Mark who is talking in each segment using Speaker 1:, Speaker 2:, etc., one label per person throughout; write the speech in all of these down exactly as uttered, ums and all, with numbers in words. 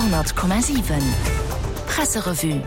Speaker 1: Radio hundert Komma siwen Presserevue.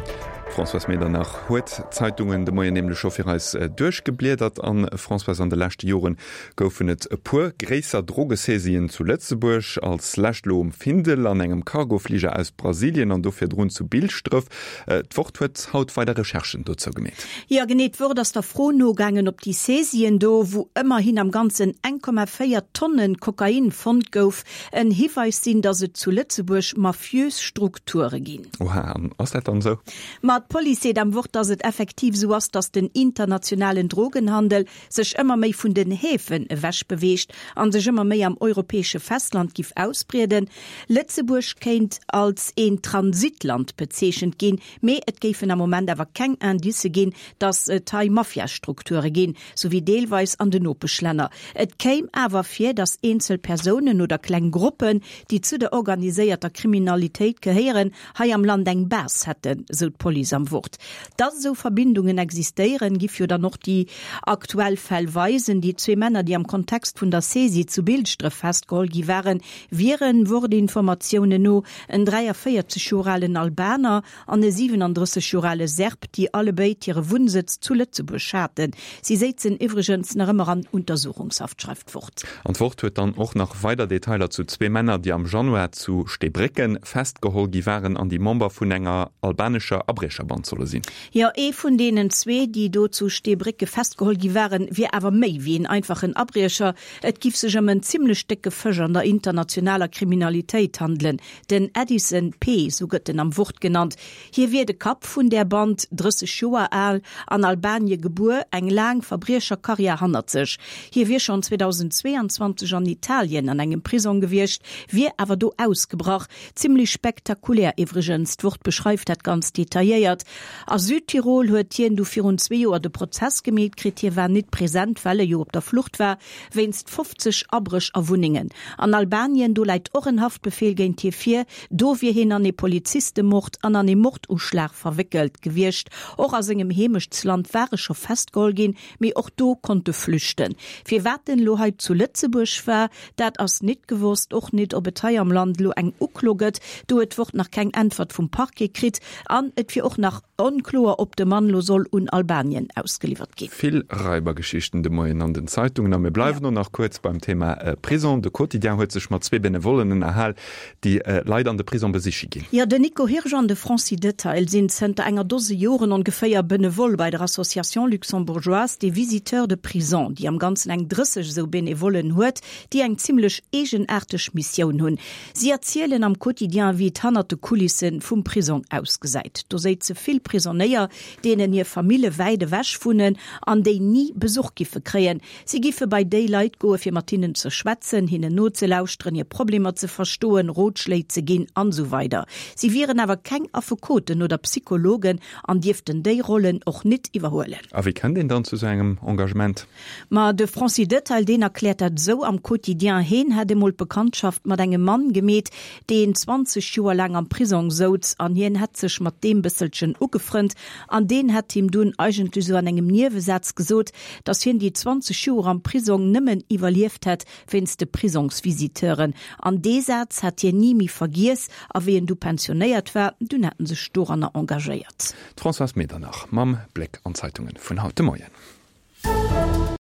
Speaker 2: D'Françoise Medernach huet d'Zeitungen de Moien nämlech scho fir eis duerchgebliedert. An, Françoise, an de leschte Joren goufen et e puer gréisser Drogesaisien zu Lëtzebuerg, als lescht elo um Findel an engem Cargofliger aus Brasilien an do virdrun zu Bilschdref. D'Wort huet haut weider Recherchen dozou gemeet.
Speaker 3: Jo, genee, d'Wort ass der Fro nogaangen, ob déi Saisien do, wou ëmmerhin am Ganzen eng Komma véier Tonnen Kokain fonnt gouf, en Hiweis sinn, datt et zu Lëtzebuerg mafiös Strukture ginn.
Speaker 2: Oha, an ass dat dann esou?
Speaker 3: Ma d'Police seet am Wort, datt et effektiv esou ass, datt den internationalen Drogenhandel sech ëmmer méi vun den Häfen ewech beweegt an sech ëmmer méi am europäesche Festland giff ausbrieden. Lëtzebuerg kéint als een Transitland bezeechent ginn, mee et géifen am Moment awer keng Indicë ginn, datt et hei Mafiastrukture ginn, sou wéi deelweis an den Nopeschlänner. Et kéim awer vir, datt eenzel Persounen oder kleng Gruppen, déi zu der organiséierter Kriminalitéit gehéieren, hei am Land eng Base hätten, sou d'Police am Wort. Datt esou Verbindungen existéieren, giff jo dann och déi aktuell Fäll weisen. Déi zwee Männer, déi am Kontext vun der Saisie zu Bilschdref festgeholl gi waren, wieren, Wort-Informatiounen no, en dräiavéierzeg Joer alen Albaner an e siwenandrësseg Joer ale Serb, déi allebéid hire Wunnsëtz zu Lëtzebuerg haten. Si séizen iwwregens nach ëmmer an Untersuchungshaft, schreift d'Wort.
Speaker 2: An d'Wort huet dann och nach weider Detailer zu zwee Männer, déi am Januar zu Steebrécken festgeholl gi waren an déi Member vun enger albanescher Abriecherband solle sinn.
Speaker 3: Jo, ee vun deenen zwee, déi do zu Steebrécke festgeholl gi waren, wier awer méi wéi een einfachen Abriecher. Et giff sech ëm en zimmlech décke Fësch an der internationaler Kriminalitéit handelen. Den Edison P. Sou gëtt en am Wort genannt. Hie wier de Kapp vun där Band, drësseg Joer al, an Albanie gebuer, eng laang Verbriecherkarriär hannert sech. Hie wier schonn zweedausendzweeanzwanzeg an Italien an engem Prisong gewiescht, wier awer do ausgebrach. Zimmlech spektakulär iwwregens, d'Wort beschreift dat ganz detailléiert. A Südtirol huet hien du virun zwee Joer de Prozess gemeet kritt. Hie war nit present, well e jo op der Flucht war wéinst fofzeg Abréch a Wunnengen. An Albanien, do läit och en Haftbefeel géint hie vir. Do wier hien an ee Polizistemord an an ee Morduschlag verwéckelt gewiescht. Och a sengem Heemechtsland war e scho festgeholl ginn, mee och do konnt e flüchten. Firwat en elo hei zu Lëtzebuerg war, dat ass nit gewosst. Och nit, ob et hei am Land elo eng Uklo gëtt. Do huet d'Wort nach keng Äntwert vum Parquet kritt. An et wier och nach onkloer, ob de Mann elo soll un Albanien ausgeliwwert ginn.
Speaker 2: Vill Raibergeschichten de Moien an den Zeitungen. A mir bleiwen och nach kuerz beim Thema Prison. De Quotidien huet sech mat zwee Benevollen ënnerhal, déi Leit an de Prisong besiche ginn.
Speaker 3: Jo, den Nico Hirsch an de Francis Detail sinn zënter enger Dose Joren ongeféier Benevole bei der Association luxembourgeoise des visiteurs de prison, déi am Ganzen eng drësseg esou Benevollen huet, déi eng zimmlech eegenaarteg Missioun hunn. Si erzielen am Quotidien, wéi et hannert de Kulisse vum Prisong ausgesäit. Do séize vill Prisonéier, deenen hir Famille wäit ewech wunnen an déi ni Besuch giffe kréien. Si giffe bei déi Leit goe fir mat hinnen ze schwätzen, hinnen nozelauschteren, hir Problemer ze verstoen, Rotschléi ze ginn an esou weider. Si wieren awer keng Affekoten oder Psychologen an dierften déi Rollen och nit iwwerhuelen.
Speaker 2: A wéi kënnt een dann zu sou engem Engagement?
Speaker 3: Ma de Francis Detail, deen erkläert dat esou am Quotidien, Heen hätt emol d'Bekanntschaft mat engem Mann gemeet, deen zwanzeg Joer laang am Prisong souz an hien hätt sech mat deem bësselchen ugefrënnt an deen hätt him dunn eigentlech esou an engem Niewesaz gesot, datt hien déi zwanzeg Joer am Prisong nëmmen iwwerlieft hätt wéinst de Prisongsvisiteuren. An dee Saz hätt hien ni méi vergiess a wéi en du pensionéiert war, dunn hätt en sech doranner engagéiert.
Speaker 2: D'Françoise Medernach mam Bléck an d'Zeitungen vun haut de Moien.